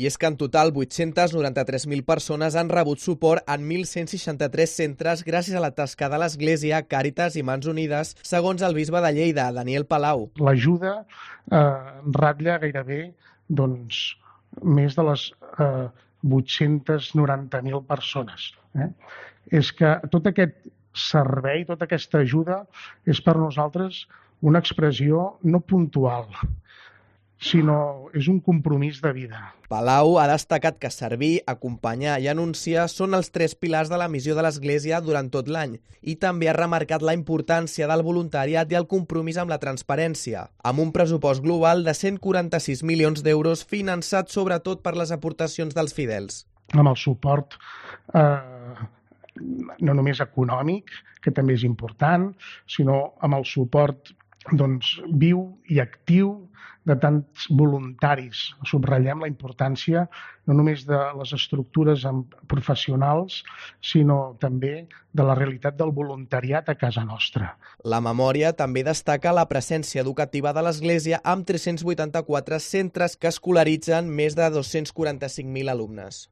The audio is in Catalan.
I és que en total 893.000 persones han rebut suport en 1.163 centres gràcies a la tasca de l'Església, Càritas i Mans Unides, segons el bisbe de Lleida, Daniel Palau. L'ajuda ratlla gairebé més de les 890.000 persones. És que tot aquest servei, tota aquesta ajuda és per nosaltres una expressió no puntual, sinó és un compromís de vida. Palau ha destacat que servir, acompanyar i anunciar són els 3 pilars de la missió de l'Església durant tot l'any i també ha remarcat la importància del voluntariat i el compromís amb la transparència, amb un pressupost global de 146 milions d'euros finançat sobretot per les aportacions dels fidels. Amb el suport no només econòmic, que també és important, sinó amb el suport viu i actiu de tants voluntaris. Subratllem la importància no només de les estructures professionals, sinó també de la realitat del voluntariat a casa nostra. La memòria també destaca la presència educativa de l'Església amb 384 centres que escolaritzen més de 245.000 alumnes.